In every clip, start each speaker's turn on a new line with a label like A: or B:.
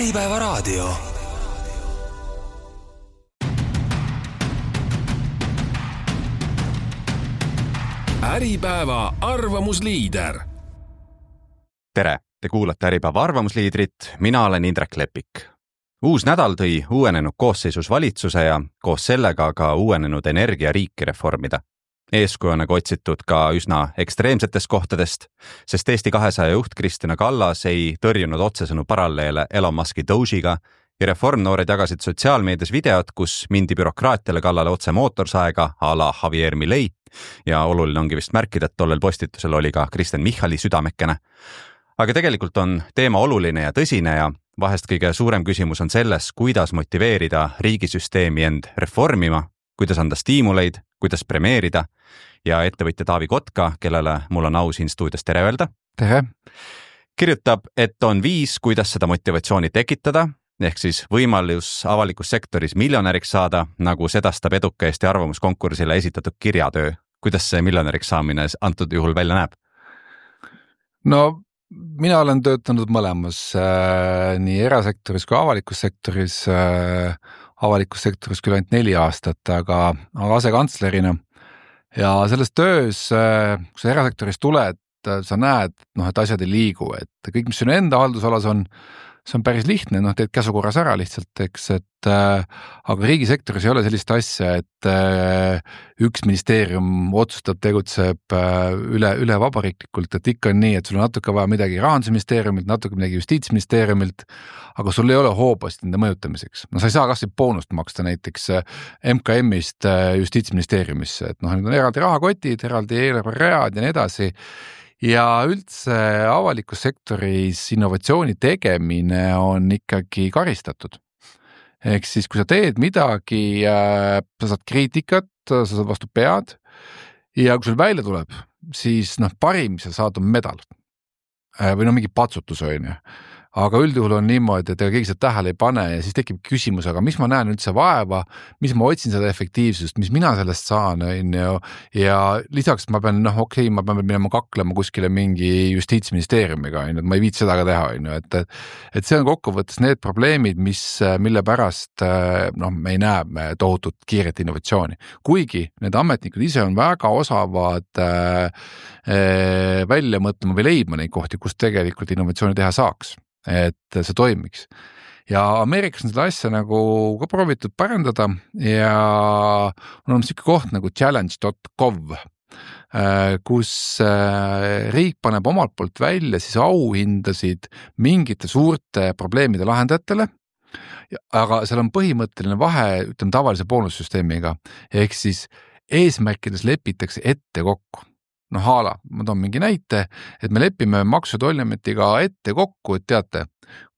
A: Äripäeva raadio. Äripäeva arvamusliider.
B: Tere, te kuulate Äripäeva arvamusliidrit, mina olen Indrek Lepik. Uus nädal tõi uuenenud koosseisus valitsuse ja koos sellega ka uuenenud energiariiki reformida. Eeskuju on otsitud ka üsna ekstreemsetest kohtadest, sest Eesti 200 juht Kristina Kallas ei tõrjunud otsesõnu paralleele Elon Muski Doge'iga ja reformnoored jagasid sotsiaalmeedias videot, kus mindi bürokraatiale kallale otse mootorsaega a la Javier Milei ja oluline ongi vist märkida, et tollel postitusel oli ka Kristen Michali südamekene. Aga tegelikult on teema oluline ja tõsine ja vahest kõige suurem küsimus on selles, kuidas motiveerida riigisüsteemi end reformima, kuidas anda stiimuleid, kuidas premeerida ja ettevõtja Taavi Kotka, kellele mul on au siin stuudios tere öelda.
C: Tere.
B: Kirjutab, et on viis, kuidas seda motivatsiooni tekitada, ehk siis võimalus avalikus sektoris miljonäriks saada, nagu sedastab eduka Eesti arvamuskonkursile esitatud kirjatöö. Kuidas see miljonäriks saamine antud juhul välja näeb?
C: No, mina olen töötanud mõlemas, nii erasektoris kui avalikus sektoris. Avalikus sektoris küll ainult 4 aastat, aga asekantslerina. Ja selles töös, kui sa erasektoris tuled, sa näed, et asjad ei liigu, et kõik, mis sinu enda haldusalas on, see on päris lihtne, teed käsukorras ära lihtsalt, eks, aga riigisektoris ei ole sellist asja, et üks ministeerium otsustab, tegutseb üle vabariiklikult, et ikka on nii, et sul on natuke vaja midagi rahandusministeeriumilt, natuke midagi justiitsministeeriumilt, aga sul ei ole hoobast nende mõjutamiseks. No sa ei saa kas boonust maksta näiteks MKM-ist justiitsministeeriumisse, et nüüd on eraldi rahakotid, eraldi eelarveread ja nii edasi. Ja üldse avalikus sektoris innovatsiooni tegemine on ikkagi karistatud. Ehk siis, kui sa teed midagi, sa saad kriitikat, sa saad vastu pead ja kui sul välja tuleb, siis parim, mis sa saad on medal või mingi patsutus on ju. Aga üldjuhul on niimoodi, et keegi seda tähele ei pane ja siis tekib küsimus, aga mis ma näen üldse vaeva, mis ma otsin seda efektiivsust, mis mina sellest saan, ja lisaks ma pean, ma pean minema kaklema kuskile mingi justiitsministeeriumiga, et ma ei viit seda ka teha, et see on kokkuvõttes need probleemid, mille pärast me ei näe tohutut kiiret innovatsiooni. Kuigi need ametnikud ise on väga osavad välja mõtlema või leidma neid kohti, kus tegelikult innovatsiooni teha saaks. Et see toimiks. Ja Ameerikas on seda asja nagu ka proovitud parandada ja on selline koht nagu challenge.gov, kus riik paneb omalt poolt välja siis auhindasid mingite suurte probleemide lahendajatele, aga seal on põhimõtteline vahe, ütleme tavalise boonussüsteemiga, ehk siis eesmärkides lepitakse ette kokku. Haala, ma toon mingi näite, et me lepime Maksu- ja Tolliametiga ette kokku, et teate,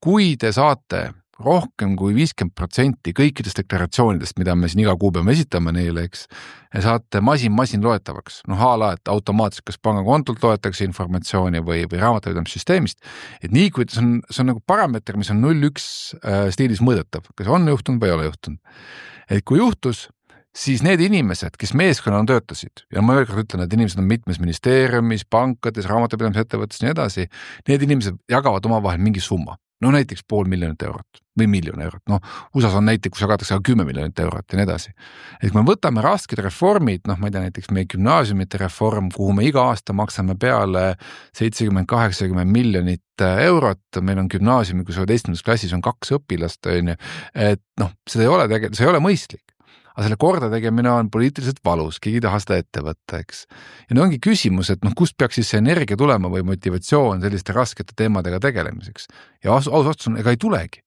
C: kui te saate rohkem kui 50% kõikidest deklaratsioonidest, mida me siin iga kuu peame esitama neile, eks, ja saate masin loetavaks. Haala, et automaatselt kas pangakontolt loetakse informatsiooni või raamatupidamissüsteemist, et nii kui see on nagu parameeter, mis on 0,1 stiilis mõõdetav, kas on juhtunud või ei ole juhtunud. Et kui juhtus, siis need inimesed, kes meeskonnana töötasid, ja ma veel kord ütlen, et inimesed on mitmes ministeeriumis, pankades, raamatupidamisettevõttes ja nii edasi, need inimesed jagavad omavahel mingi summa. Näiteks 500 000 eurot või 1 miljon eurot. USAs on näiteks, kus jagatakse 10 miljonit eurot ja nii edasi. Et kui me võtame rasked reformid, ma ei tea, näiteks meie gümnaasiumite reform, kuhu me iga aasta maksame peale 70-80 miljonit eurot, meil on gümnaasiumi, kus 11. klassis on 2 õpilast, et see ei ole mõistlik. Aga selle korda tegemine on poliitiliselt valus, keegi taha seda ette võtta, eks. Ja ongi küsimus, et kust peaks siis see energia tulema või motivatsioon selliste raskete teemadega tegelemiseks. Ja ausalt on, ega ei tulegi.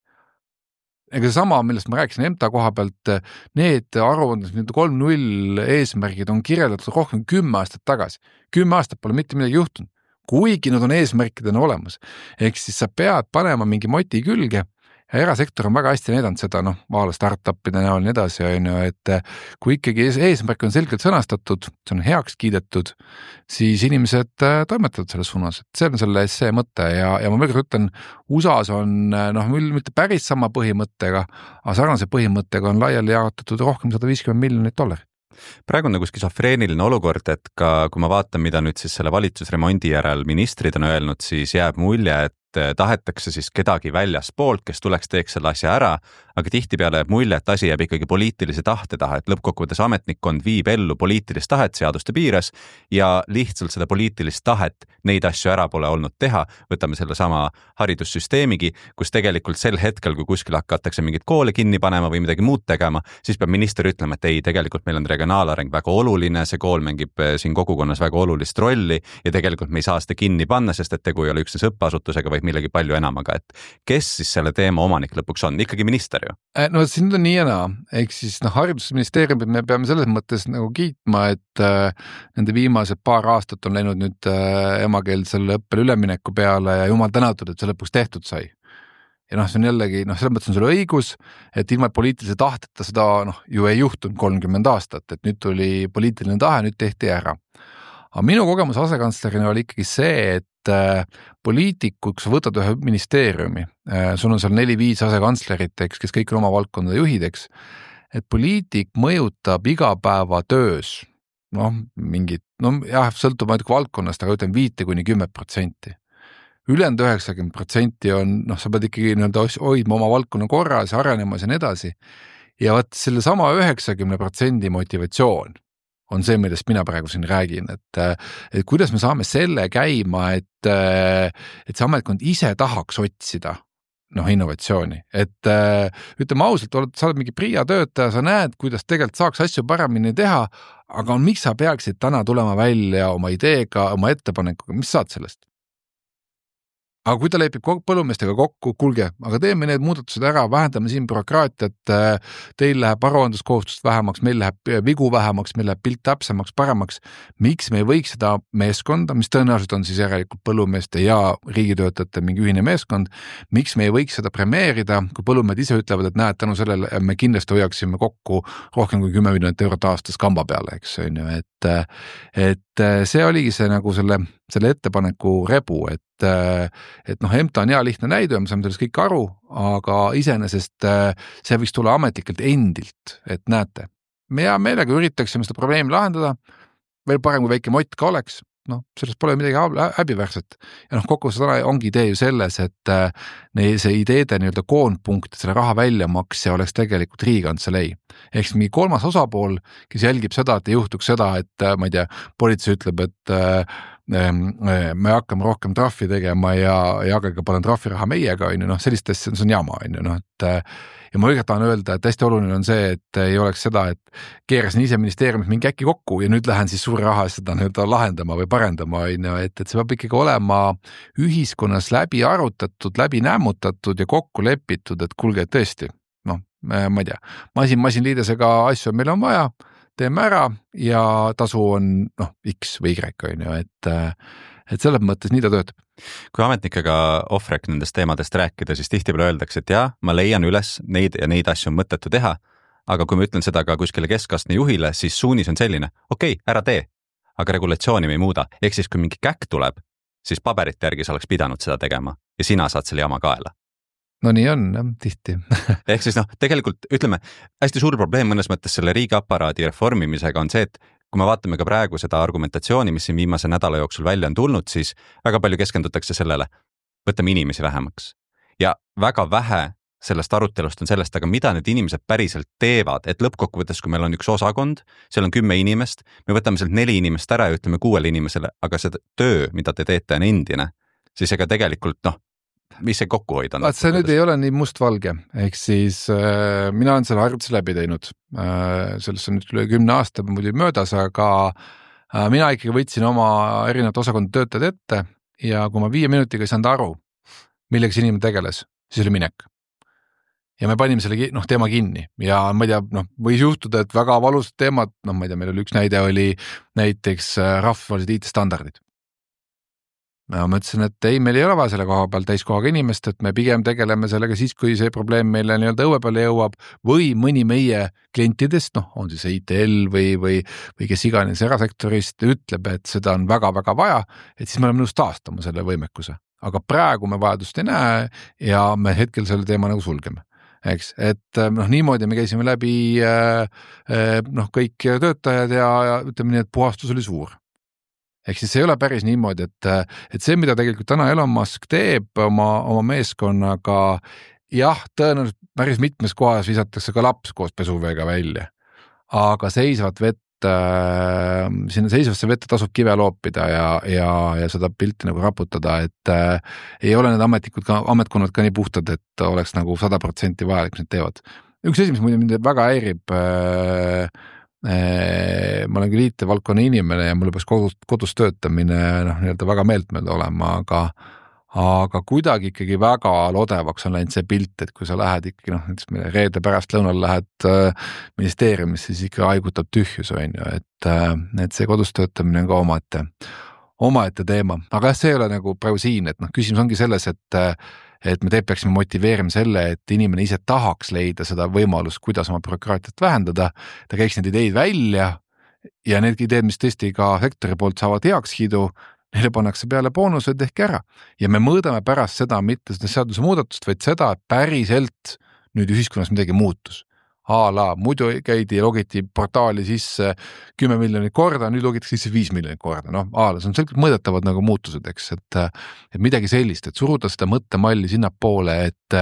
C: Ega see sama, millest ma rääkisin EMTA koha pealt, need aruanded, 3.0 eesmärgid on kirjeldatud rohkem 10 aastat tagasi. 10 aastat pole mitte midagi juhtunud, kuigi nad on eesmärkidena olemas. Ehk siis sa pead panema mingi moti külge. Ja erasektor on väga hästi näidanud seda, vaala startupide näol nii edasi, et kui ikkagi eesmärk on selgelt sõnastatud, see on heaks kiidetud, siis inimesed toimetavad selles suunas. See on selle essee mõte ja ma veel kord ütlen, USAs on mitte päris sama põhimõttega, aga sarnase põhimõttega on laiali jaotatud rohkem $150 miljonit.
B: Praegu on nagu skisofreeniline olukord, et ka kui ma vaatan, mida nüüd siis selle valitsusremondi järel ministrid on öelnud, siis jääb mulje, et tahetakse siis kedagi väljaspoolt, kes tuleks teeks selle asja ära, aga tihtipeale jääb mulje, et asi jääb ikkagi poliitilise tahte taha, et lõppkokkuvõttes ametnikkond viib ellu poliitilist tahet seaduste piires ja lihtsalt seda poliitilist tahet neid asju ära pole olnud teha. Võtame selle sama haridussüsteemigi, kus tegelikult sel hetkel, kui kuskil hakatakse mingit koole kinni panema või midagi muud tegema, siis peab minister ütlema, et ei, tegelikult meil on regionaalareng väga oluline, see kool mängib siin kogukonnas väga olulist rolli ja tegelikult me ei saa seda kinni panna, sest et tegu ei ole üksnes õppeasutusega, vaid millegi palju enamaga, et kes siis selle teema omanik lõpuks on? Ikkagi minister ju.
C: No siin on nii ja naa, ehk siis haridusministeeriumit me peame selles mõttes nagu kiitma, et nende viimased paar aastat on läinud nüüd emakeelsele õppele ülemineku peale ja jumal tänatud, et see lõpuks tehtud sai. Ja see on jällegi, selles mõttes on sul õigus, et ilma poliitilise tahteta seda ju ei juhtunud 30 aastat, et nüüd tuli poliitiline tahe, nüüd tehti ära. Aga minu kogemus asekantslerina oli ikkagi see, et poliitikud, kui sa võtad ühe ministeeriumi, sul on seal 4-5 asekantslerit, kes kõik on oma valdkonda juhideks, et poliitik mõjutab igapäevatöös, sõltub ainult valdkonnast, aga ütlen 5-10%. Ülejäänud 90% on, sa pead ikkagi hoidma oma valdkonna korras ja arenemas ja nii edasi. Ja võt selle sama 90% motivatsioon on see, millest mina praegu siin räägin, et kuidas me saame selle käima, et see ametkond ise tahaks otsida innovatsiooni. Et ütleme ausalt, sa oled mingi PRIA töötaja, sa näed, kuidas tegelikult saaks asju paremini teha, aga miks sa peaksid täna tulema välja oma ideega, oma ettepanekuga, mis saad sellest? Aga kui ta lepib põllumeestega kokku, kuulge, aga teeme need muudatused ära, vähendame siin bürokraatiat, teil läheb aruandluskohustust vähemaks, meil läheb vigu vähemaks, meil läheb pilt täpsemaks, paremaks. Miks me ei võiks seda meeskonda, mis tõenäoliselt on siis järelikult põllumeeste ja riigitöötajate mingi ühine meeskond, miks me ei võiks seda premeerida, kui põllumehed ise ütlevad, et näed, tänu sellele me kindlasti hoiaksime kokku rohkem kui 10 miljonit eurot aastas kamba peale, eks on ju, et see oligi see nagu selle ettepaneku rebu, et EMTA on hea lihtne näide, me saame sellest kõik aru, aga iseenesest see võiks tulla ametlikelt endilt, et näete, me hea meelega üritaksime seda probleemi lahendada, veel parem kui väike mott ka oleks, sellest pole midagi häbiväärset. Ja kokkuvõttes ongi idee ju selles, et see ideede koondpunkt, selle raha väljamakse oleks tegelikult Riigikantselei. Ehk mingi kolmas osapool, kes jälgib seda, et ei juhtuks seda, et ma ei tea, politsei ütleb, et me hakkame rohkem trahvi tegema ja jagage panen trahviraha meiega, sellist asja, see on jama, ja ma õiget tahan öelda, et hästi oluline on see, et ei oleks seda, et keerasin ise ministeeriumis mingi äkki kokku ja nüüd lähen siis suure raha seda lahendama või parendama, et see peab ikkagi olema ühiskonnas läbi arutatud, läbi nämmutatud ja kokku lepitud, et kuulge, tõesti, ma ei tea, masinliidesega asju meil on vaja, teeme ära ja tasu on X või Y, et selles mõttes nii ta töötab.
B: Kui ametnikega off-rec nendest teemadest rääkida, siis tihtipeale öeldakse, et jah, ma leian üles neid ja neid asju on mõttetu teha, aga kui ma ütlen seda ka kuskile keskastme juhile, siis suunis on selline, okei, ära tee, aga regulatsiooni me ei muuda. Ehk siis, kui mingi käkk tuleb, siis paberite järgi sa oleks pidanud seda tegema ja sina saad selle jama kaela.
C: No nii on, tihti.
B: Ehk siis tegelikult ütleme, hästi suur probleem mõnes mõttes selle riigiaparaadi reformimisega on see, et kui me vaatame ka praegu seda argumentatsiooni, mis siin viimase nädala jooksul välja on tulnud, siis väga palju keskendutakse sellele, võtame inimesi vähemaks. Ja väga vähe sellest arutelust on sellest, aga mida need inimesed päriselt teevad, et lõppkokkuvõttes, kui meil on üks osakond, seal on 10 inimest, me võtame sealt 4 inimest ära ja ütleme 6 inimesele, aga see töö, mida te teete, on endine, siis ega tegelikult mis see kokkuhoid on?
C: See nüüd ei ole nii mustvalge, ehk siis mina olen selle harjutuse läbi teinud, sellest on nüüd üle 10 aasta muidu möödas, aga mina ikkagi võtsin oma erinevat osakonda töötajad ette ja kui ma 5 minutiga ei saanud aru, millega see inimene tegeles, siis oli minek. Ja me panime selle teema kinni ja ma ei tea, võis juhtuda, et väga valusad teemad, ma ei tea, meil oli üks näide oli näiteks rahvusvahelised IT-standardid. Ma mõtlesin, et ei, meil ei ole vaja selle koha peal täiskohaga inimest, et me pigem tegeleme sellega siis, kui see probleem meile õue peale jõuab või mõni meie klientidest, on siis ITL või kes iganes erasektorist ütleb, et seda on väga-väga vaja, et siis me oleme nõus taastama selle võimekuse. Aga praegu me vajadust ei näe ja me hetkel selle teema sulgeme. Eks, et niimoodi me käisime läbi kõik töötajad ja ütleme nii, et puhastus oli suur. ehk siis ei ole päris niimoodi, et see, mida tegelikult täna Elon Musk teeb oma meeskonnaga, jah, tõenäoliselt päris mitmes kohas visatakse ka laps koos pesuveega välja, aga seisvat vett, sinna seisvasse vette tasub kive loopida ja seda pilti nagu raputada, et ei ole need ametkonnad ka nii puhtad, et oleks nagu 100% vajalik, mis need teevad. Üks asi, mis mind väga häirib, ma olen küll IT-valdkonna inimene ja mul peaks kodus töötamine nii-öelda väga meeltmööda olema, aga kuidagi ikkagi väga lodevaks on läinud see pilt, et kui sa lähed ikkagi näiteks reede pärast lõunal lähed ministeeriumisse, siis ikka haigutab tühjus, et see kodus töötamine on ka omaette teema, aga see ei ole nagu praegu siin, et küsimus ongi selles, et me peaksime motiveerima selle, et inimene ise tahaks leida seda võimalust, kuidas oma bürokraatiat vähendada, ta käiks need ideid välja ja need ideed, mis tõesti ka sektori poolt saavad heakskiidu, neile pannakse peale boonused ehk ära ja me mõõdame pärast seda mitte seda seaduse muudatust, vaid seda, et päriselt nüüd ühiskonnas midagi muutus. Muidu käidi ja logiti portaali sisse 10 miljonit korda, nüüd logitakse sisse 5 miljonit korda. See on selgelt mõõdetavad nagu muutused, eks, et midagi sellist, et suruda seda mõttemalli sinna poole, et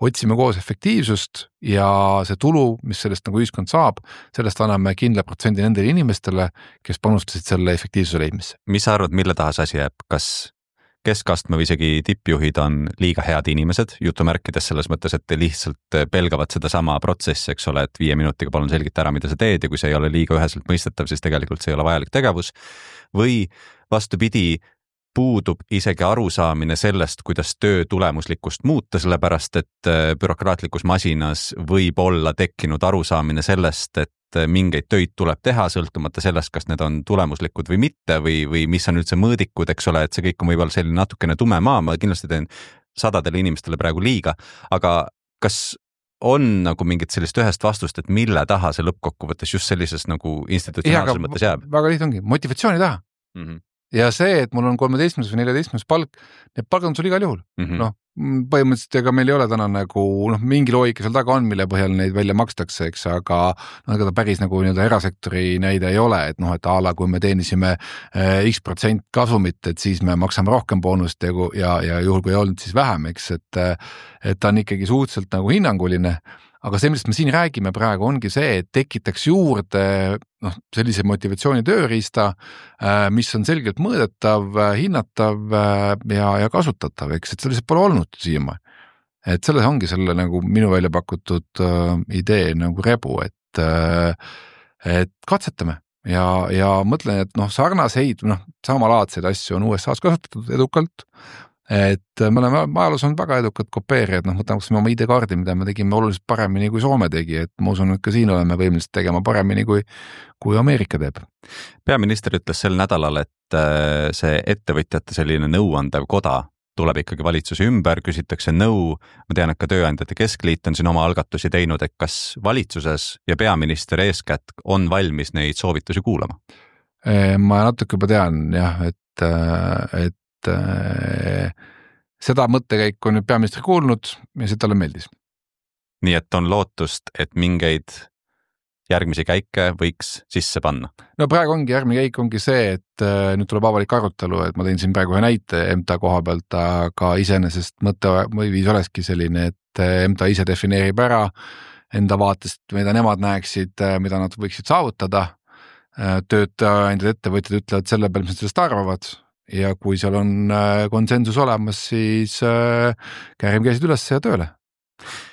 C: otsime koos efektiivsust ja see tulu, mis sellest nagu ühiskond saab, sellest anname kindla protsendi nendele inimestele, kes panustasid selle efektiivsuse leidmisse.
B: Mis sa arvad, mille taha see asi jääb? Kas keskastme või isegi tippjuhid on liiga head inimesed, jutumärkides selles mõttes, et lihtsalt pelgavad seda sama protsessi, eks ole, et 5 minutiga palun selgita ära, mida sa teed ja kui see ei ole liiga üheselt mõistetav, siis tegelikult see ei ole vajalik tegevus või vastupidi, puudub isegi arusaamine sellest, kuidas töö tulemuslikkust muuta, sellepärast et bürokraatlikus masinas võib olla tekkinud arusaamine sellest, et mingeid töid tuleb teha, sõltumata sellest, kas need on tulemuslikud või mitte või mis on üldse mõõdikud, eks ole, et see kõik on võib-olla selline natukene tume maa, ma kindlasti teen sadadele inimestele praegu liiga, aga kas on nagu mingit sellist ühest vastust, et mille taha see lõppkokkuvõttes just sellises nagu institutsionaalses mõttes jääb?
C: Väga liht ongi, motivatsiooni taha. Ja see, et mul on 13. või 14. palk, need palgad on sul igal juhul. Põhimõtteliselt ega meil ei ole täna nagu mingi loogika seal taga on, mille põhjal neid välja makstakse, eks, aga ega ta päris nagu erasektori näide ei ole, et kui me teenisime X% kasumit, et siis me maksame rohkem boonust ja juhul kui ei olnud, siis vähem, eks, et ta on ikkagi suhteliselt nagu hinnanguline. Aga see, millest me siin räägime praegu, ongi see, et tekitaks juurde sellise motivatsiooni tööriista, mis on selgelt mõõdetav, hinnatav ja kasutatav, eks, et sellest pole olnud siiama. Et selles ongi selle nagu minu välja pakutud idee nagu rebu, et katsetame ja mõtlen, et sarnaseid, samalaadseid asju on USA's kasutatud edukalt, et me oleme ajaloos olnud väga edukad kopeerijad, võtame oma ID-kaardi, mida me tegime oluliselt paremini kui Soome tegi, et ma usun, et ka siin oleme võimelised tegema paremini kui Ameerika teeb.
B: Peaminister ütles sel nädalal, et see ettevõtjate selline nõuandev koda tuleb ikkagi valitsuse ümber, küsitakse nõu, ma tean, et ka Tööandjate Keskliit on siin oma algatusi teinud, et kas valitsuses ja peaminister eeskätt on valmis neid soovitusi kuulama?
C: Ma natuke juba tean, jah, et seda mõttekäiku on nüüd peaministri kuulnud ja see talle meeldis.
B: Nii et on lootust, et mingeid järgmisi käike võiks sisse panna?
C: No praegu järgmine käik ongi see, et nüüd tuleb avalik arutelu, et ma tõin siin praegu ühe näite MTA koha pealt, aga iseenesest mõte või viis olekski selline, et MTA ise defineerib ära enda vaatest, mida nemad näeksid, mida nad võiksid saavutada. Töötajad, ettevõtjad ütlevad selle peale, mis sellest arvavad. Ja kui seal on konsensus olemas, siis käärime käisid üles ja tööle.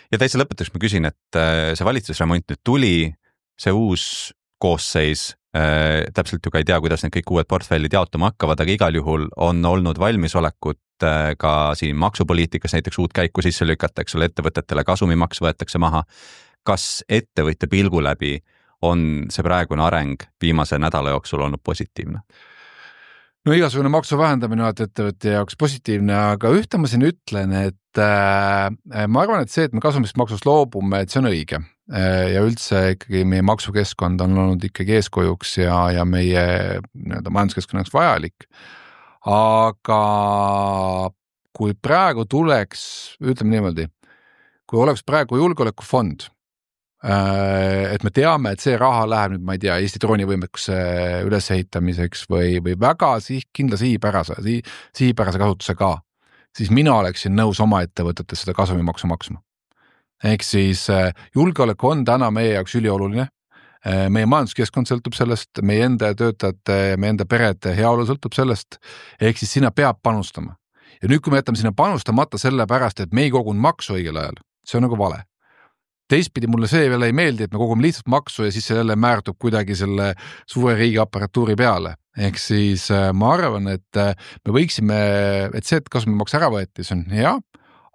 B: Ja täitsa lõpetuseks ma küsin, et see valitsusremont nüüd tuli, see uus koosseis, täpselt ju ka ei tea, kuidas need kõik uued portfellid jaotuma hakkavad, aga igal juhul on olnud valmisolekut ka siin maksupoliitikas näiteks uut käiku sisse lükata, eks ole, ettevõtetele kasumimaks võetakse maha. Kas ettevõtja pilgu läbi on see praegune areng viimase nädala jooksul olnud positiivne?
C: No igasugune maksu vähendamine on ettevõtja jaoks positiivne, aga ühte ma siin ütlen, et ma arvan, et see, et me kasumist maksust loobume, et see on õige. Ja üldse ikkagi meie maksukeskkond on olnud ikkagi eeskujuks ja meie majanduskeskkonnaks vajalik. Aga kui praegu tuleks, ütleme niimoodi, kui oleks praegu julgeolekufond, et me teame, et see raha läheb nüüd, ma ei tea, Eesti droonivõimekuse ülesehitamiseks või väga kindla sihipärase kasutusega, siis mina oleksin nõus oma ettevõtetes seda kasumimaksu maksma. Ehk siis julgeolek on täna meie jaoks ülioluline. Meie majanduskeskkond sõltub sellest, meie enda töötajate, meie enda perede heaolu sõltub sellest, ehk siis sinna peab panustama. Ja nüüd, kui me jätame sinna panustamata selle pärast, et me ei kogun maksu õigel ajal, see on nagu vale. Teistpidi mulle see veel ei meeldi, et me kogume lihtsalt maksu ja siis see jälle määrdub kuidagi selle suure riigi aparatuuri peale. Ehk siis ma arvan, et me võiksime, et see, et kasumimaks ära võeti, see on hea,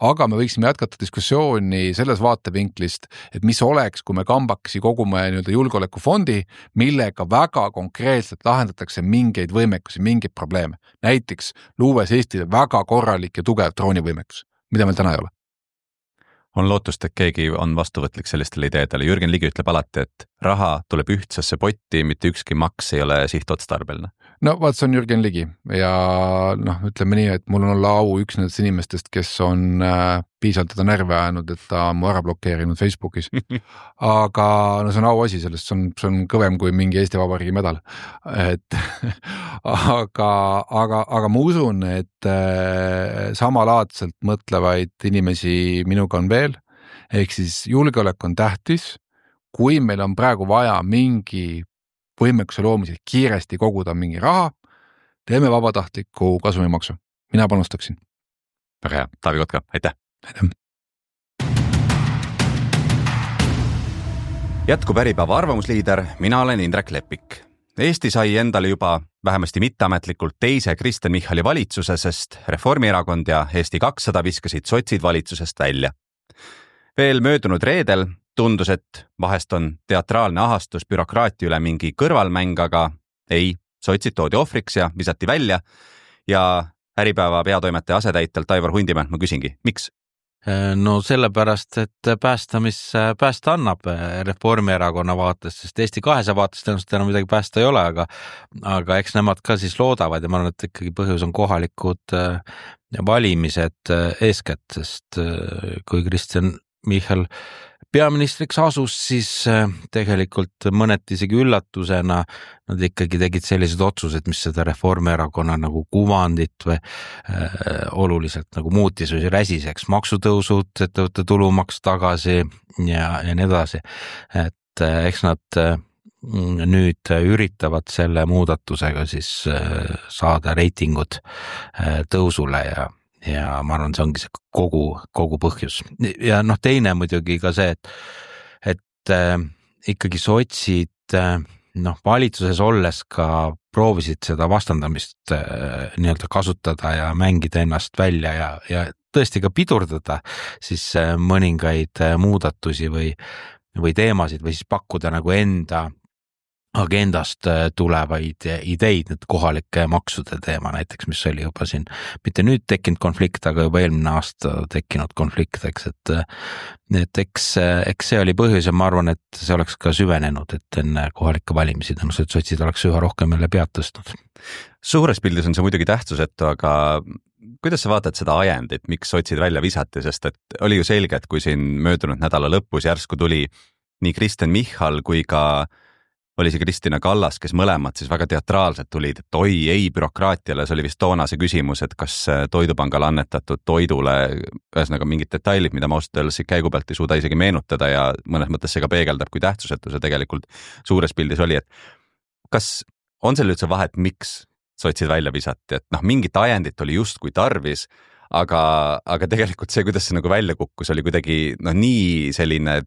C: aga me võiksime jätkata diskussiooni selles vaatevinklist, et mis oleks, kui me kambakesi kogume julgeolekufondi, millega väga konkreetselt lahendatakse mingeid võimekusi, mingeid probleeme. Näiteks luues Eestile väga korralik ja tugev droonivõimekus, mida meil täna ei ole.
B: On lootust, et keegi on vastuvõtlik sellistele ideedele. Jürgen Ligi ütleb alati, et raha tuleb ühtsesse potti, mitte ükski maks ei ole sihtotstarbeline.
C: No vaat, see on Jürgen Ligi ja ütleme nii, et mul on olla au üks nendest inimestest, kes on piisavalt teda närve ajanud, et ta on mu ära blokeerinud Facebookis. Aga see on au asi, sellest see on kõvem kui mingi Eesti Vabariigi medal. Aga ma usun, et samalaadselt mõtlevaid inimesi minuga on veel, ehk siis julgeolek on tähtis, kui meil on praegu vaja mingi võimekuse loomisel kiiresti koguda mingi raha, teeme vabatahtliku kasumimaksu. Mina panustaksin.
B: Väga hea. Taavi Kotka, aitäh! Jätkub Äripäeva arvamusliider, mina olen Indrek Lepik. Eesti sai endale juba vähemasti mitteametlikult teise Kristen Michali valitsuse, sest Reformierakond ja Eesti 200 viskasid sotsid valitsusest välja. Veel möödunud reedel tundus, et vahest on teatraalne ahastus bürokraatia üle mingi kõrvalmäng, aga ei, sotsid toodi ohvriks ja visati välja ja Äripäeva peatoimetaja asetäitelt Aivar Hundimäelt ma küsingi, miks?
D: No sellepärast, et päästa, mis päästa annab Reformierakonna vaates, sest Eesti 200 vaates tõenäoliselt enam midagi päästa ei ole, aga eks nemad ka siis loodavad ja ma arvan, et ikkagi põhjus on kohalikud valimised eeskätt, sest kui Kristen Michal peaministriks asus, siis tegelikult mõneti isegi üllatusena nad ikkagi tegid sellised otsused, mis seda Reformierakonna nagu kuvandit või oluliselt nagu muutis või räsiseks, maksutõusud, ettevõtte tulumaks tagasi ja nii edasi. Et eks nad nüüd üritavad selle muudatusega siis saada reitingud tõusule ja ma arvan, see ongi see kogu põhjus. Ja teine muidugi ka see, et ikkagi sotsid valitsuses olles ka proovisid seda vastandamist nii-öelda kasutada ja mängida ennast välja ja tõesti ka pidurdada siis mõningaid muudatusi või teemasid või siis pakkuda nagu enda agendast tulevaid ideid, need kohalike maksude teema näiteks, mis oli juba siin, mitte nüüd tekkinud konflikt, aga juba eelmine aasta tekkinud konflikt, et eks see oli põhjus ja ma arvan, et see oleks ka süvenenud, et enne kohalike valimisi tõenäoliselt sotsid oleks üha rohkem jälle pead tõstnud.
B: Suures pildis on see muidugi tähtsusetu, aga kuidas sa vaatad seda ajendit, miks sotsid välja visati, sest et oli ju selge, et kui siin möödunud nädala lõpus järsku tuli nii Kristen Michal kui ka oli see Kristina Kallas, kes mõlemad siis väga teatraalselt tulid, et oi, ei bürokraatiale, see oli vist toona see küsimus, et kas Toidupangale annetatud toidule, ühesõnaga mingid detailid, mida ma ausalt öeldes käigu pealt ei suuda isegi meenutada ja mõnes mõttes see ka peegeldab, kui tähtsusetu see tegelikult suures pildis oli, et kas on seal üldse vahet, miks sotsid välja visati, et mingit ajendit oli justkui tarvis, aga tegelikult see, kuidas see nagu välja kukkus, oli kuidagi nii selline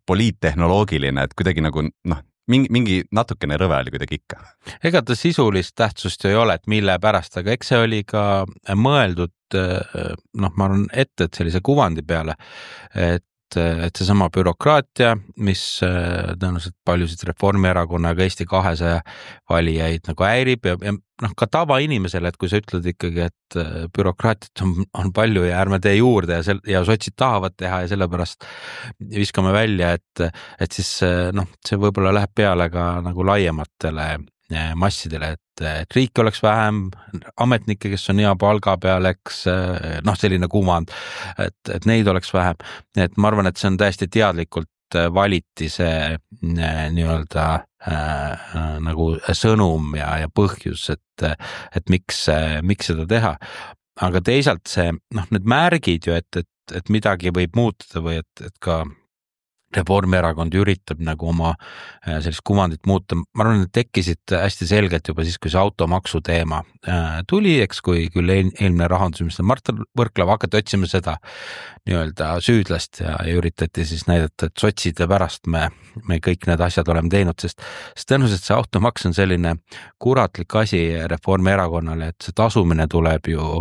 B: poliittehnoloogiline, et kuidagi nagu mingi natukene rõve oli kuidagi ikka.
D: Ega ta sisulist tähtsust ei ole, et mille pärast, aga eks see oli ka mõeldud, ma arvan ette, et sellise kuvandi peale, et see sama bürokraatia, mis tõenäoliselt paljusid Reformierakonna ja Eesti 200 valijaid nagu häirib ja ka tavainimesele, et kui sa ütled ikkagi, et bürokraatiat on palju ja ärme tee juurde ja sotsid tahavad teha ja sellepärast viskame välja, et siis see võib-olla läheb peale ka nagu laiematele massidele, et riiki oleks vähem, ametnikke, kes on hea palga peal, eks selline kuvand, et neid oleks vähem. Et ma arvan, et see on täiesti teadlikult valiti see nii-öelda nagu sõnum ja põhjus, et miks seda teha. Aga teisalt see, need märgid ju, et midagi võib muutuda või et ka Reformierakond üritab nagu oma sellist kuvandit muuta. Ma arvan, et tekkisid hästi selgelt juba siis, kui see automaksu teema tuli, eks, kui küll eelmine rahandusminister Mart Võrklaev hakati otsima seda nii-öelda süüdlast ja üritati siis näidata, et sotside pärast me kõik need asjad oleme teinud, sest tõenäoliselt see automaks on selline kuratlik asi Reformierakonnale, et see tasumine tuleb ju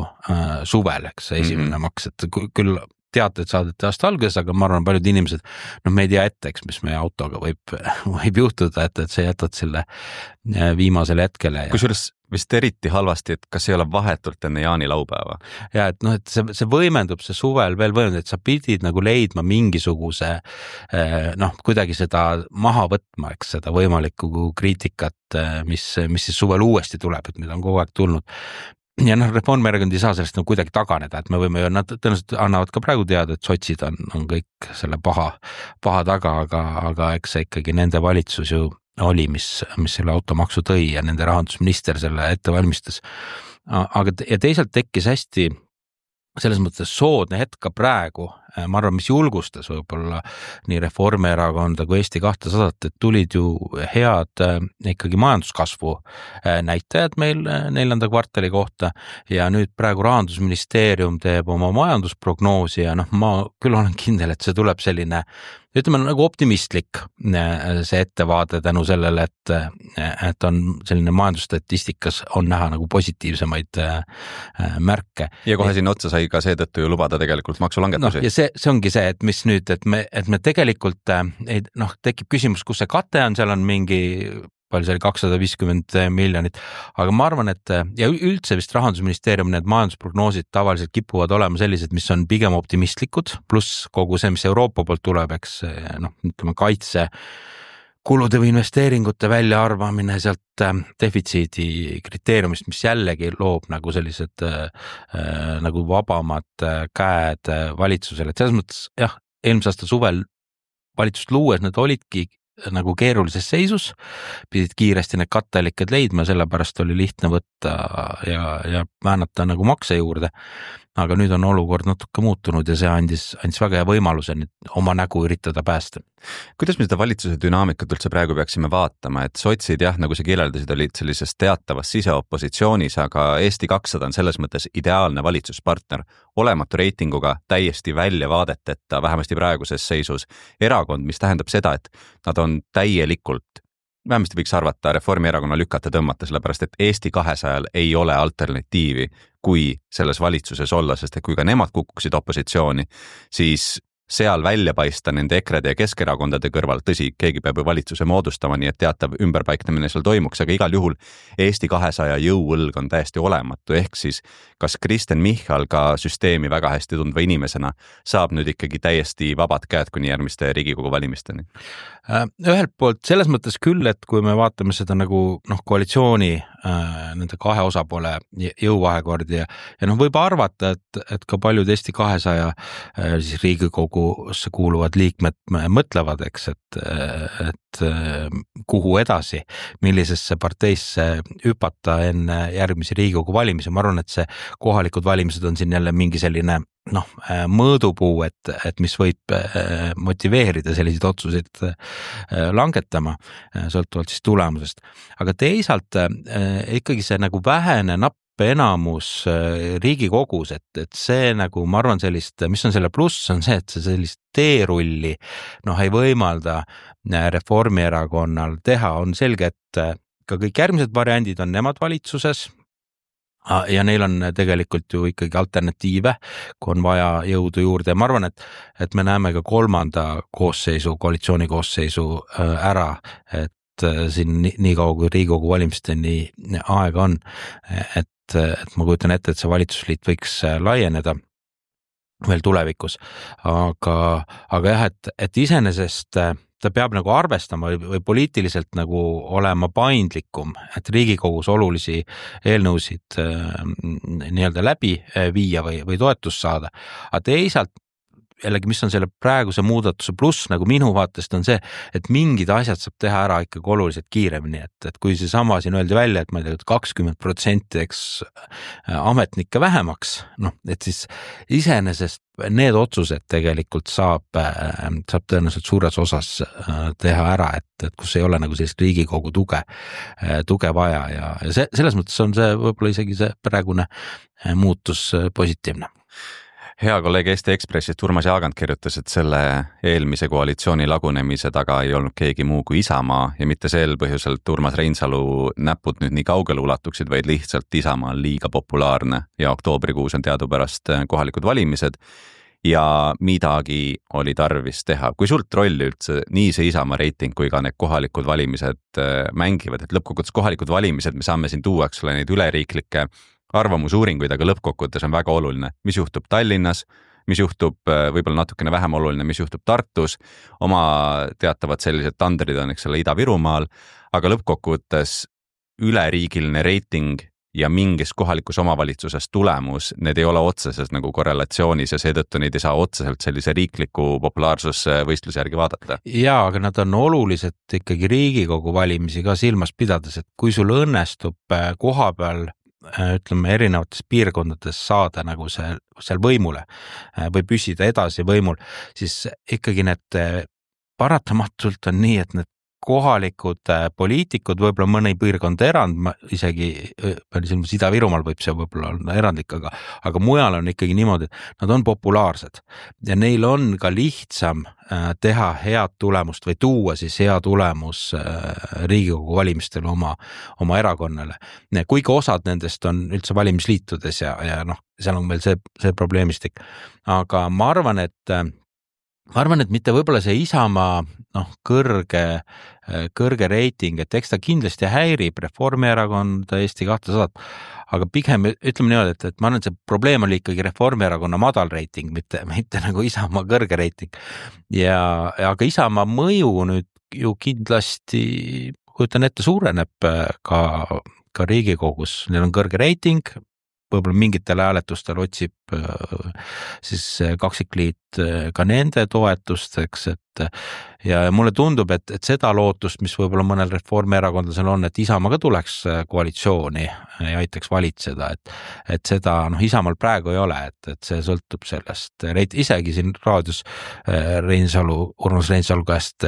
D: suvel, eks, see esimene maks, et küll teated saadeti aasta alguses, aga ma arvan, paljud inimesed, me ei tea ette, eks, mis meie autoga võib juhtuda, et see jätad selle viimasele hetkele.
B: Kusjuures vist eriti halvasti, et kas ei ole vahetult enne jaanilaupäeva.
D: Ja, et et see võimendub, see suvel veel võimendub, et sa pidid nagu leidma mingisuguse, kuidagi seda maha võtma, eks, seda võimalikku kriitikat, mis siis suvel uuesti tuleb, et mida on kogu aeg tulnud. Ja Reformierakond ei saa sellest kuidagi taganeda, et me võime ju, nad tõenäoliselt annavad ka praegu teada, et sotsid on kõik selle paha taga, aga eks see ikkagi nende valitsus ju oli, mis selle automaksu tõi ja nende rahandusminister selle ette valmistas. Ja teisalt tekkis hästi selles mõttes soodne hetk ka praegu, ma arvan, mis julgustas võib-olla nii Reformierakonda kui Eesti 200, et tulid ju head ikkagi majanduskasvu näitajad meil 4. kvartali kohta ja nüüd praegu Rahandusministeerium teeb oma majandusprognoosi ja ma küll olen kindel, et see tuleb selline, ütleme nagu optimistlik see ettevaade tänu sellele, et on selline majandusstatistikas on näha nagu positiivsemaid märke.
B: Ja kohe siin otsa sai ka seetõttu ju lubada tegelikult maksulangetusi.
D: Ja see ongi see, et mis nüüd, et me tegelikult tekib küsimus, kus see kate on, seal on mingi palju see oli 250 miljonit, aga ma arvan, et ja üldse vist Rahandusministeerium need majandusprognoosid tavaliselt kipuvad olema sellised, mis on pigem optimistlikud, pluss kogu see, mis Euroopa poolt tuleb, eks ütleme kaitse kulude või investeeringute väljaarvamine sealt defitsiidi kriteeriumist, mis jällegi loob nagu sellised nagu vabamad käed valitsusele, et selles mõttes jah, eelmise aasta suvel valitsust luues need olidki nagu keerulises seisus, pidid kiiresti need katteallikad leidma, sellepärast oli lihtne võtta ja väänata nagu makse juurde, aga nüüd on olukord natuke muutunud ja see andis väga hea võimaluse nüüd oma nägu üritada päästa.
B: Kuidas me seda valitsuse dünaamikat üldse praegu peaksime vaatama, et sotsid jah, nagu sa kirjeldasid, olid sellises teatavas siseopositsioonis, aga Eesti 200 on selles mõttes ideaalne valitsuspartner, olematu reitinguga, täiesti välja vaadeteta, vähemasti praeguses seisus erakond, mis tähendab seda, et nad on täielikult, vähemasti võiks arvata Reformierakonna lükata tõmmata, sellepärast et Eesti 200 ei ole alternatiivi, kui selles valitsuses olla, sest kui ka nemad kukuksid opositsiooni, siis seal välja paista nende EKRE-de ja Keskerakondade kõrval, tõsi, keegi peab ju valitsuse moodustama, nii et teatav ümberpaiknemine seal toimuks, aga igal juhul Eesti 200 jõuõlg on täiesti olematu, ehk siis kas Kristen Michal ka süsteemi väga hästi tundva inimesena saab nüüd ikkagi täiesti vabad käed kuni järgmiste Riigikogu valimisteni?
D: Ühelt poolt selles mõttes küll, et kui me vaatame seda nagu koalitsiooni nende kahe osapoole jõuvahekordi ja võib arvata, et ka paljud Eesti 200 siis Riigikogusse kuuluvad liikmed mõtlevad, eks, et kuhu edasi, millisesse parteisse hüpata enne järgmisi Riigikogu valimisi. Ma arvan, et see kohalikud valimised on siin jälle mingi selline mõõdupuu, et mis võib motiveerida selliseid otsuseid langetama, sõltuvalt siis tulemusest. Aga teisalt ikkagi see nagu vähene napp enamus Riigikogus, et see nagu, ma arvan sellist, mis on selle pluss, on see, et see sellist teerulli ei võimalda Reformierakonnal teha, on selge, et ka kõik järgmised variandid on nemad valitsuses, ja neil on tegelikult ju ikkagi alternatiive, kui on vaja jõudu juurde ja ma arvan, et me näeme ka kolmanda koosseisu, koalitsiooni koosseisu ära, et siin nii kaua kui Riigikogu valimisteni aega on, et ma kujutan ette, et see valitsusliit võiks laieneda veel tulevikus, aga jah, et iseenesest ta peab nagu arvestama või poliitiliselt nagu olema paindlikum, et Riigikogus olulisi eelnõusid nii-öelda läbi viia või toetust saada. Aga teisalt jällegi, mis on selle praeguse muudatuse pluss nagu minu vaatest on see, et mingid asjad saab teha ära ikkagi oluliselt kiiremini, et kui see sama siin öeldi välja, et ma ei tea, 20% eks ametnikke vähemaks, noh, et siis iseenesest need otsused tegelikult saab tõenäoliselt suures osas teha ära, et kus ei ole nagu sellist Riigikogu tuge vaja ja selles mõttes on see võib-olla isegi see praegune muutus positiivne.
B: Hea kolleeg Eesti Ekspressist Urmas Jaagant kirjutas, et selle eelmise koalitsiooni lagunemise taga ei olnud keegi muu kui Isamaa ja mitte sel põhjusel, et Urmas Reinsalu näpud nüüd nii kaugele ulatuksid, vaid lihtsalt Isamaa on liiga populaarne ja oktoobrikuus on teadupärast kohalikud valimised ja midagi oli tarvis teha. Kui sult rolli üldse nii see Isamaa reiting kui ka need kohalikud valimised mängivad, et lõppkokkuvõttes kohalikud valimised me saame siin tuua, eks ole, neid üleriiklikke arvamusuuringuid, aga lõppkokkuvõttes on väga oluline, mis juhtub Tallinnas, mis juhtub võib-olla natukene vähem oluline, mis juhtub Tartus, oma teatavad sellised tandrid on, eks ole, Ida-Virumaal, aga lõppkokkuvõttes üleriigiline reiting ja mingis kohalikus omavalitsuses tulemus, need ei ole otseses nagu korrelatsioonis ja seetõttu neid ei saa otseselt sellise riikliku populaarsusvõistluse järgi vaadata.
D: Jaa, aga nad on olulised ikkagi Riigikogu valimisi ka silmas pidades, et kui sul õnnestub koha peal ütleme erinevates piirkondades saada nagu seal võimule või püsida edasi võimul, siis ikkagi need paratamatult on nii, et need kohalikud poliitikud, võib-olla mõni piirkond erand, isegi Ida-Virumaal võib see võib-olla olla erandlik, aga mujal on ikkagi niimoodi, et nad on populaarsed ja neil on ka lihtsam teha head tulemust või tuua siis hea tulemus Riigikogu valimistel oma erakonnale. Kuigi osad nendest on üldse valimisliitudes ja noh, seal on veel see probleemistik. Aga ma arvan, et mitte võib-olla see Isamaa kõrge reiting, et eks ta kindlasti häirib Reformierakonda, Eesti 200, aga pigem ütleme niimoodi, et ma arvan, et see probleem oli ikkagi Reformierakonna madal reiting, mitte nagu Isamaa kõrge reiting. Aga Isamaa mõju nüüd ju kindlasti, kujutan ette, suureneb ka Riigikogus, neil on kõrge reiting, võib-olla mingitel hääletustel otsib siis kaksikliit ka nende toetusteks, ja mulle tundub, et seda lootust, mis võib-olla mõnel reformierakondlasel on, et Isamaa ka tuleks koalitsiooni ja aitaks valitseda, et seda Isamaal praegu ei ole, et see sõltub sellest. Isegi siin raadios Urmas Reinsalu käest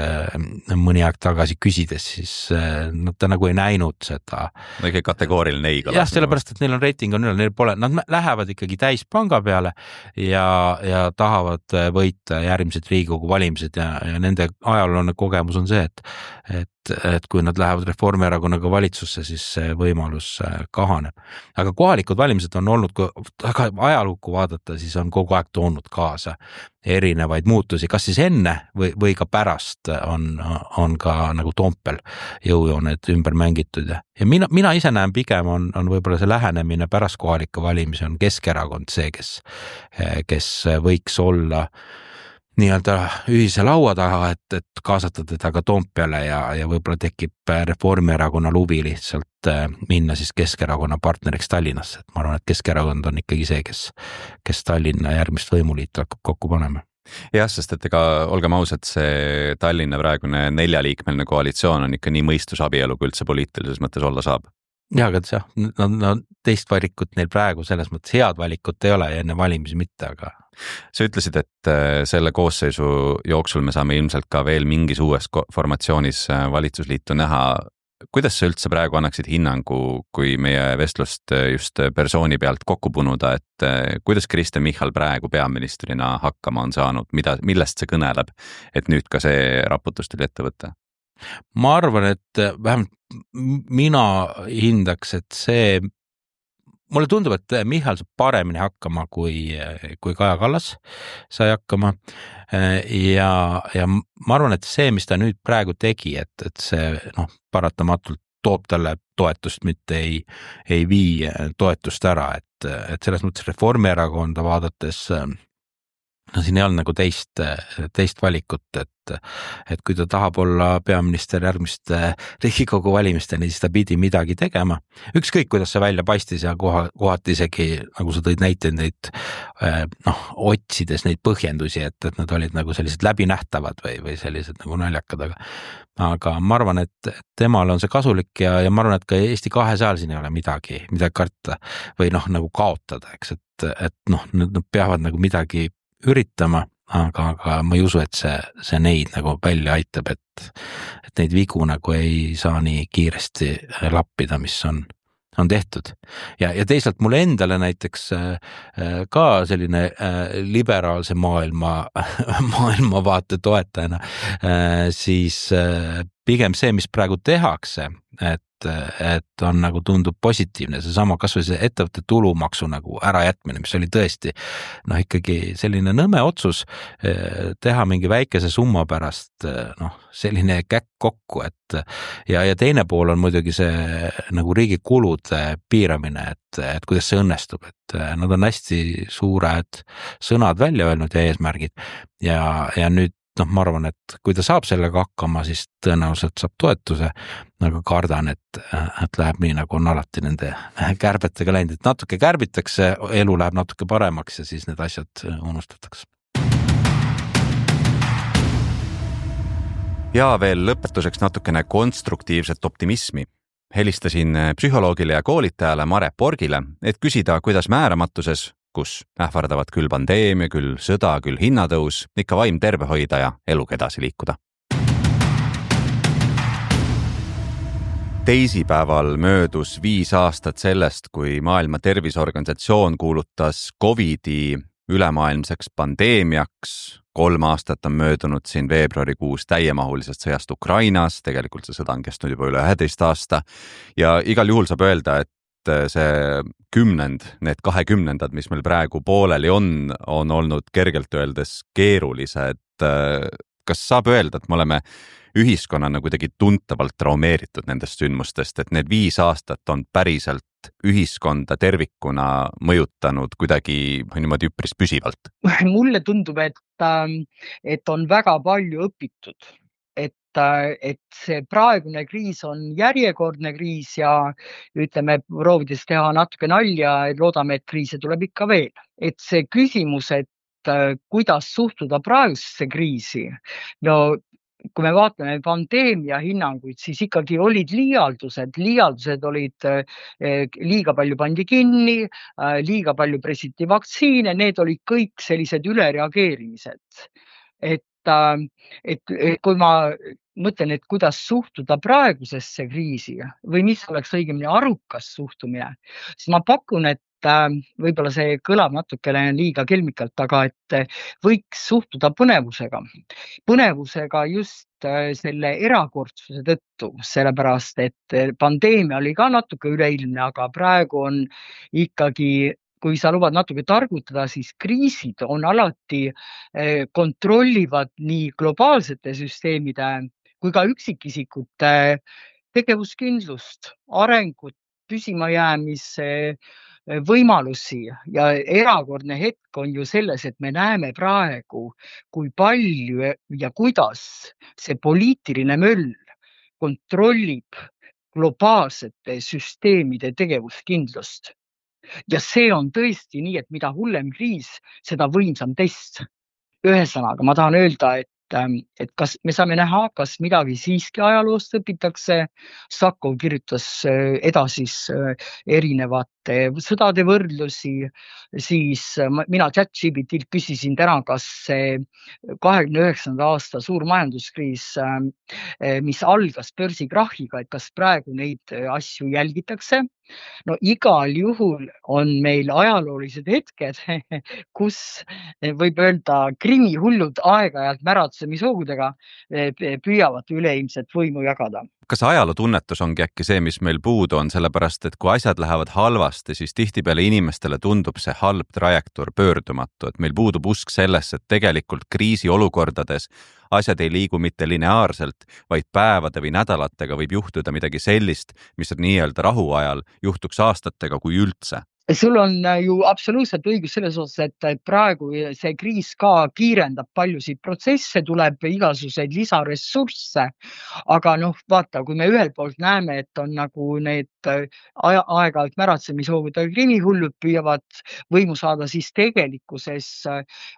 D: mõni aeg tagasi küsides, siis ta nagu ei näinud seda.
B: Õige kategooriline ei.
D: Jah, sellepärast, et neil on reiting on üle, neil pole, nad lähevad ikkagi täispanga peale ja tahavad võita järgmised Riigikogu valimised ja nende ajaloone kogemus on see, et kui nad lähevad Reformierakonnaga valitsusse, siis see võimalus kahaneb. Aga kohalikud valimised on olnud, kui ajalukku vaadata, siis on kogu aeg toonud kaasa erinevaid muutusi, kas siis enne või ka pärast on ka nagu Toompeal jõujooned ümber mängitud. Ja mina ise näen pigem on võib-olla see lähenemine pärast kohalikke valimisi on Keskerakond see, kes võiks olla nii-öelda ühise laua taha, et kaasata teda ka Toompeale ja võib-olla tekib Reformierakonna lubi lihtsalt minna siis Keskerakonna partneriks Tallinnasse. Et ma arvan, et Keskerakond on ikkagi see, kes Tallinna järgmist võimuliitu hakkab kokku panema.
B: Jah, sest et ega olgem ausad, see Tallinna praegune 4-liikmeline koalitsioon on ikka nii mõistusabielu, kui üldse poliitilises mõttes olla saab.
D: Ja, aga jah, teist valikut neil praegu selles mõttes head valikut ei ole ja enne valimisi mitte, aga
B: sa ütlesid, et selle koosseisu jooksul me saame ilmselt ka veel mingis uues formatsioonis valitsusliitu näha. Kuidas sa üldse praegu annaksid hinnangu, kui meie vestlust just persooni pealt kokku punuda, et kuidas Kristen Michal praegu peaministrina hakkama on saanud, millest see kõneleb, et nüüd ka see raputus tuli ette võtta?
D: Ma arvan, et vähemalt mina hindaks, et mulle tundub, et Michal saab paremini hakkama kui Kaja Kallas sai hakkama ja ma arvan, et see, mis ta nüüd praegu tegi, et see paratamatult toob talle toetust, mitte ei vii toetust ära, et selles mõttes Reformierakonda vaadates no siin ei olnud nagu teist valikut, et kui ta tahab olla peaminister järgmiste Riigikogu valimisteni, siis ta pidi midagi tegema. Ükskõik, kuidas see välja paistis ja kohati isegi, nagu sa tõid näiteid neid, otsides neid põhjendusi, et nad olid nagu sellised läbinähtavad või sellised nagu naljakad, aga ma arvan, et temal on see kasulik ja ma arvan, et ka Eesti 200 siin ei ole midagi karta või nagu kaotada, eks, et nad peavad nagu midagi üritama, aga ma ei usu, et see neid nagu välja aitab, et neid vigu nagu ei saa nii kiiresti lappida, mis on tehtud. Ja teisalt mulle endale näiteks ka selline liberaalse maailmavaate toetajana, siis pigem see, mis praegu tehakse, et on nagu tundub positiivne, see sama kasvõi see ettevõtte tulumaksu nagu ärajätmine, mis oli tõesti ikkagi selline nõme otsus teha mingi väikese summa pärast selline käkk kokku, ja teine pool on muidugi see nagu riigi kulude piiramine, et kuidas see õnnestub, et nad on hästi suured sõnad välja öelnud ja eesmärgid ja nüüd ma arvan, et kui ta saab sellega hakkama, siis tõenäoliselt saab toetuse, aga kardan, et läheb nii, nagu on alati nende kärbetega läinud, et natuke kärbitakse, elu läheb natuke paremaks ja siis need asjad unustatakse.
B: Ja veel lõpetuseks natukene konstruktiivset optimismi. Helistasin psühholoogile ja koolitajale Mare Borgile, et küsida, kuidas määramatuses, kus ähvardavad küll pandeemia, küll sõda, küll hinnatõus, ikka vaim terve hoida ja eluga edasi liikuda. Teisipäeval möödus 5 aastat sellest, kui Maailma Terviseorganisatsioon kuulutas COVID-i ülemaailmseks pandeemiaks. 3 aastat on möödunud siin veebruarikuus täiemahulisest sõjast Ukrainas, tegelikult see sõda on kestnud juba üle 11 aasta ja igal juhul saab öelda, et see 10, need 20, mis meil praegu pooleli on olnud kergelt öeldes keerulised. Kas saab öelda, et me oleme ühiskonnana kuidagi tuntavalt traumeeritud nendest sündmustest, et need 5 aastat on päriselt ühiskonda tervikuna mõjutanud kuidagi niimoodi üpris püsivalt?
E: Mulle tundub, et on väga palju õpitud. Et see praegune kriis on järjekordne kriis ja ütleme, proovides teha natuke nalja, loodame, et kriise tuleb ikka veel. Et see küsimus, et kuidas suhtuda praegusesse kriisi, kui me vaatame pandeemia hinnanguid, siis ikkagi olid liialdused olid liiga palju pandi kinni, liiga palju pressiti vaktsiine, need olid kõik sellised ülereageerimised. Et kui ma mõtlen, et kuidas suhtuda praegusesse kriisi või mis oleks õigemini arukas suhtumine, siis ma pakun, et võib-olla see kõlab natukene liiga kelmikalt, aga et võiks suhtuda põnevusega just selle erakordsuse tõttu, sellepärast et pandeemia oli ka natuke üleilmne, aga praegu on ikkagi, kui sa lubad natuke targutada, siis kriisid on alati kontrollivad nii globaalsete süsteemide kui ka üksikisikute tegevuskindlust, arengut, püsimajäämise võimalusi ja erakordne hetk on ju selles, et me näeme praegu, kui palju ja kuidas see poliitiline möll kontrollib globaalsete süsteemide tegevuskindlust. Ja see on tõesti nii, et mida hullem kriis, seda võimsam test. Ühesõnaga, ma tahan öelda, et kas me saame näha, kas midagi siiski ajaloost õpitakse. Sakov kirjutas edasi erinevate sõdade võrdlusi, siis mina ChatGPTilt küsisin täna, kas see 29. aasta suur majanduskriis, mis algas börsikrahhiga, et kas praegu neid asju jälgitakse. No igal juhul on meil ajaloolised hetked, kus võib öelda krimihullud aeg-ajalt märatsemishoogudega püüavad üleilmset võimu jagada.
B: Kas ajalootunnetus ongi äkki see, mis meil puudu on, sellepärast, et kui asjad lähevad halvasti, siis tihtipeale inimestele tundub see halb trajektoor pöördumatu, et meil puudub usk sellesse, et tegelikult kriisiolukordades asjad ei liigu mitte lineaarselt, vaid päevade või nädalatega võib juhtuda midagi sellist, mis nii-öelda rahuajal juhtuks aastatega kui üldse.
E: Sul on ju absoluutselt õigus selles osas, et praegu see kriis ka kiirendab paljusid protsesse, tuleb igasuguseid lisaressursse, aga noh, vaata, kui me ühelt poolt näeme, et on nagu need aeg-ajalt märatsemishoovudega krimihullud püüavad võimu saada, siis tegelikkuses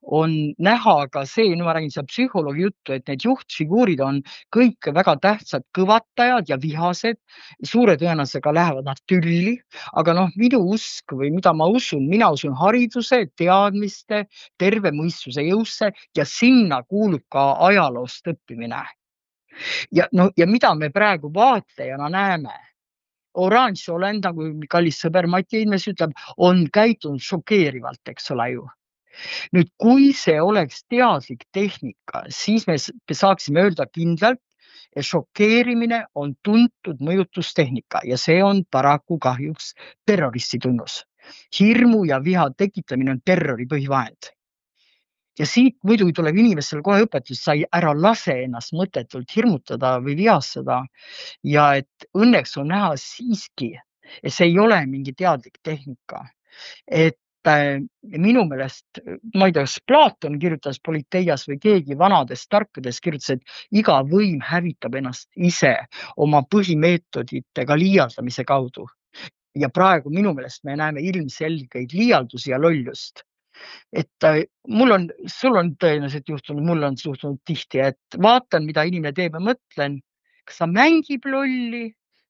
E: on näha ka see, no ma räägin seda psühholoogi juttu, et need juhtfiguurid on kõik väga tähtsad kõvatajad ja vihased, suure tõenäosusega lähevad nad tülli, aga noh, minu usk või mida ma usun, mina usun hariduse, teadmiste, terve mõistuse jõusse ja sinna kuulub ka ajaloost õppimine. Ja mida me praegu vaatajana näeme? Oranž olend, nagu kallis sõber Mati Ilmes ütleb, on käitunud šokeerivalt, eks ole ju. Nüüd, kui see oleks teadlik tehnika, siis me saaksime öelda kindlalt, et šokeerimine on tuntud mõjutustehnika ja see on paraku kahjuks terroristi tunnus. Hirmu ja viha tekitamine on terrori põhivahend. Ja siit muidugi tuleb inimestel kohe õpetus, sa ära lase ennast mõttetult hirmutada või vihastada. Ja et õnneks on näha siiski, et see ei ole mingi teadlik tehnika. Et minu meelest, ma ei tea, kas Platon kirjutas Politeias või keegi vanades tarkades kirjutas, et iga võim hävitab ennast ise oma põhimeetoditega liialdamise kaudu. Ja praegu minu meelest me näeme ilmselgeid liialdusi ja lollust. Et sul on tõenäoliselt juhtunud, mul on suhtunud tihti, et vaatan, mida inimene teeb ja mõtlen, kas ta mängib lolli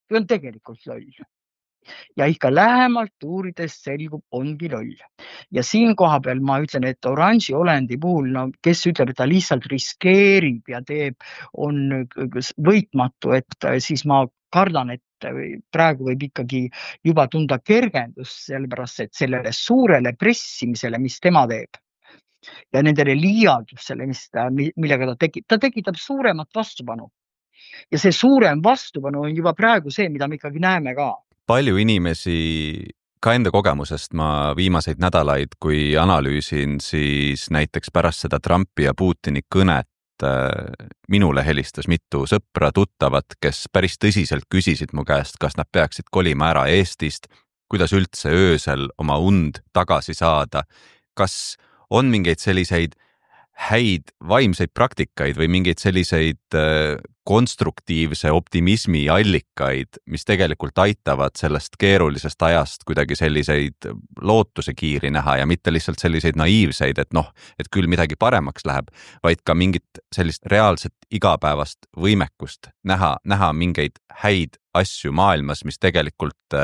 E: või on tegelikult loll. Ja ikka lähemalt uurides selgub, ongi loll. Ja siin koha peal ma ütlen, et oranži olendi puhul, no, kes ütleb, et ta lihtsalt riskeerib ja on võitmatu, et siis ma kardan, et praegu võib ikkagi juba tunda kergendust, sellepärast, et sellele suurele pressimisele, mis tema teeb ja nendele liialdusele, millega ta tekitab suuremat vastupanu. Ja see suurem vastupanu on juba praegu see, mida me ikkagi näeme ka.
B: Palju inimesi, ka enda kogemusest ma viimaseid nädalaid, kui analüüsin, siis näiteks pärast seda Trumpi ja Putini kõnet minule helistas mitu sõpra, tuttavat, kes päris tõsiselt küsisid mu käest, kas nad peaksid kolima ära Eestist, kuidas üldse öösel oma und tagasi saada, kas on mingeid selliseid häid vaimseid praktikaid või mingeid selliseid konstruktiivse optimismi allikaid, mis tegelikult aitavad sellest keerulisest ajast kuidagi selliseid lootuse kiiri näha ja mitte lihtsalt selliseid naiivseid, et noh, et küll midagi paremaks läheb, vaid ka mingit sellist reaalset igapäevast võimekust näha mingeid häid asju maailmas, mis tegelikult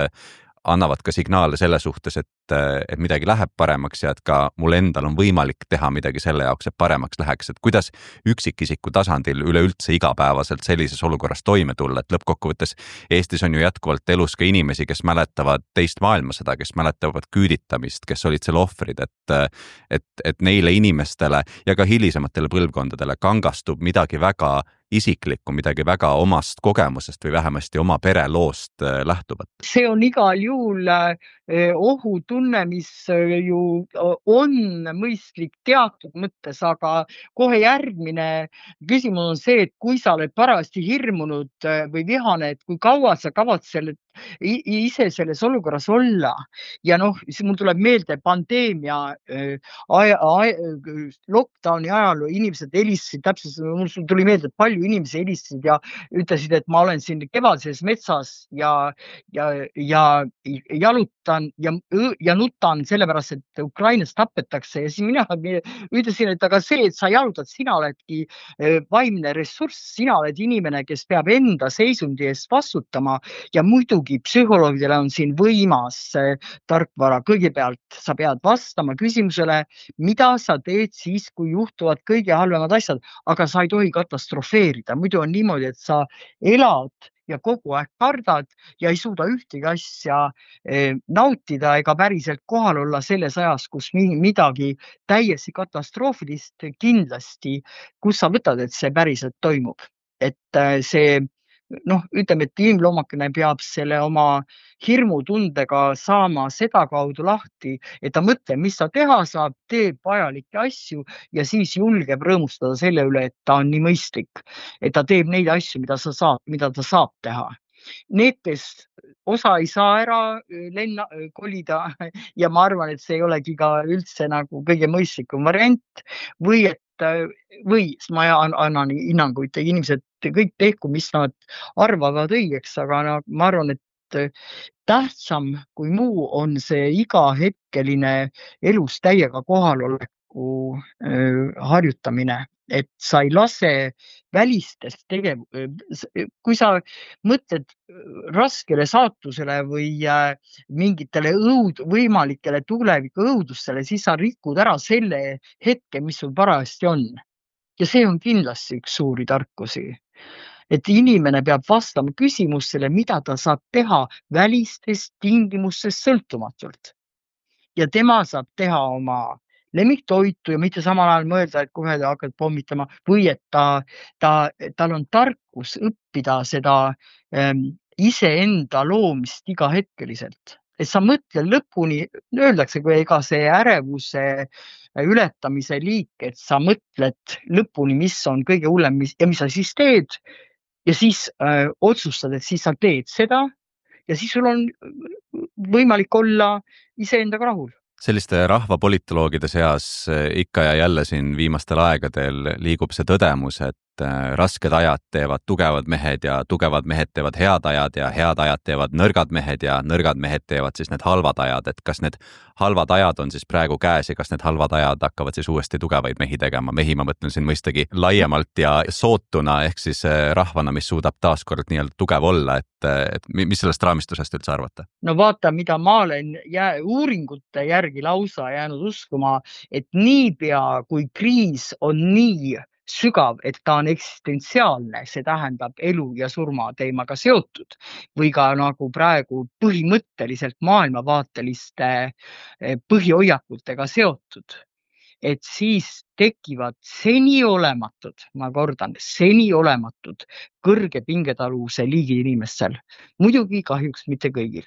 B: annavad ka signaale selle suhtes, et midagi läheb paremaks ja et ka mul endal on võimalik teha midagi selle jaoks, et paremaks läheks, et kuidas üksikisiku tasandil üleüldse igapäevaselt sellises olukorras toime tulla, et lõppkokkuvõttes Eestis on ju jätkuvalt elus ka inimesi, kes mäletavad teist maailmasõda, kes mäletavad küüditamist, kes olid selle ohvrid, et neile inimestele ja ka hilisematele põlvkondadele kangastub midagi väga isiklikku, midagi väga omast kogemusest või vähemasti oma pereloost lähtuvat.
E: See on igal juhul ohutunne, mis ju on mõistlik teatud mõttes, aga kohe järgmine küsimus on see, et kui sa oled parajasti hirmunud või vihane, et kui kaua sa kavatsed ise selles olukorras olla. Ja noh, mul tuleb meelde pandeemia lockdowni ajal inimesed helistasid täpselt, mul tuli meelde, et palju inimesi helistasid ja ütlesid, et ma olen siin kevadses metsas ja jalutan ja nutan sellepärast, et Ukrainas tapetakse ja siis mina ütlesin, et aga see, et sa jalutad, sina oledki vaimne ressurss, sina oled inimene, kes peab enda seisundi eest vastutama ja muidugi psühholoogidele on siin võimas tarkvara. Kõigepealt sa pead vastama küsimusele, mida sa teed siis, kui juhtuvad kõige halvemad asjad, aga sa ei tohi katastrofeerida. Muidu on niimoodi, et sa elad ja kogu aeg kardad ja ei suuda ühtegi asja nautida ega päriselt kohal olla selles ajas, kus midagi täiesti katastroofilist kindlasti, kus sa võtad, et see päriselt toimub. Et see, noh, ütleme, et inimloomakene peab selle oma hirmutundega saama seda kaudu lahti, et ta mõtleb, mis ta teha saab, teeb vajalikke asju ja siis julgeb rõõmustada selle üle, et ta on nii mõistlik, et ta teeb neid asju, mida ta saab teha. Need, kes osa ei saa ära kolida ja ma arvan, et see ei olegi ka üldse nagu kõige mõistlikum variant või siis ma annan hinnanguid, inimesed kõik tehku, mis nad arvavad õigeks, aga ma arvan, et tähtsam kui muu on see igahetkeline elus täiega kohaloleku harjutamine, et sa ei lase välistest kui sa mõtled raskele saatusele või mingitele võimalikele tuleviku õudustele, siis sa rikud ära selle hetke, mis sul parajasti on. Ja see on kindlasti üks suuri tarkusi, et inimene peab vastama küsimusele, mida ta saab teha välistest tingimustest sõltumatult. Ja tema saab teha oma lemmiktoitu ja mitte samal ajal mõelda, et kohe ta hakkad pommitama või et tal on tarkus õppida seda iseenda loomist igahetkeliselt. Et sa mõtle lõpuni, öeldakse, kui ega see ärevuse ületamise liik, et sa mõtled lõpuni, mis on kõige hullem ja mis sa siis teed ja siis otsustad, et siis sa teed seda ja siis sul on võimalik olla iseendaga rahul.
B: Selliste rahvapolitoloogide seas ikka ja jälle siin viimastel aegadel liigub see tõdemus, et rasked ajad teevad tugevad mehed ja tugevad mehed teevad head ajad ja head ajad teevad nõrgad mehed ja nõrgad mehed teevad siis need halvad ajad, et kas need halvad ajad on siis praegu käes ja kas need halvad ajad hakkavad siis uuesti tugevaid mehi tegema. Mehi ma mõtlen siin mõistagi laiemalt ja sootuna ehk siis rahvana, mis suudab taaskord nii-öelda tugev olla, et mis sellest raamistusest üldse arvata?
E: No vaata, mida ma olen uuringute järgi lausa jäänud uskuma, et niipea kui kriis on nii sügav, et ta on eksistentsiaalne, see tähendab elu ja surma teemaga seotud või ka nagu praegu põhimõtteliselt maailmavaateliste põhihoiakutega seotud, et siis tekivad seniolematud, ma kordan, seniolematud kõrge pingetaluvuse liigi inimestel. Muidugi kahjuks mitte kõigil.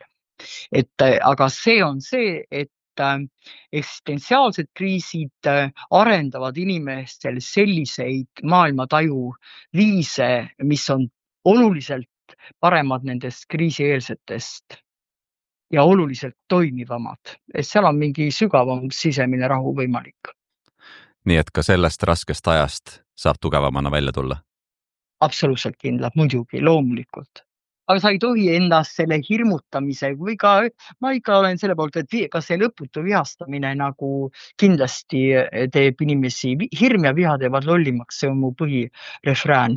E: Aga see on see, et eksistentsiaalsed kriisid arendavad inimestel selliseid maailmataju viise, mis on oluliselt paremad nendest kriisieelsetest ja oluliselt toimivamad. Et seal on mingi sügavam sisemine rahu võimalik.
B: Nii et ka sellest raskest ajast saab tugevamana välja tulla?
E: Absoluutselt kindlalt, muidugi, loomulikult. Aga sa ei tohi endast selle hirmutamise või ka, ma ikka olen selle poolt, et ka see lõputu vihastamine nagu kindlasti teeb inimesi, hirm ja viha teevad lollimaks, see on mu põhirefrään.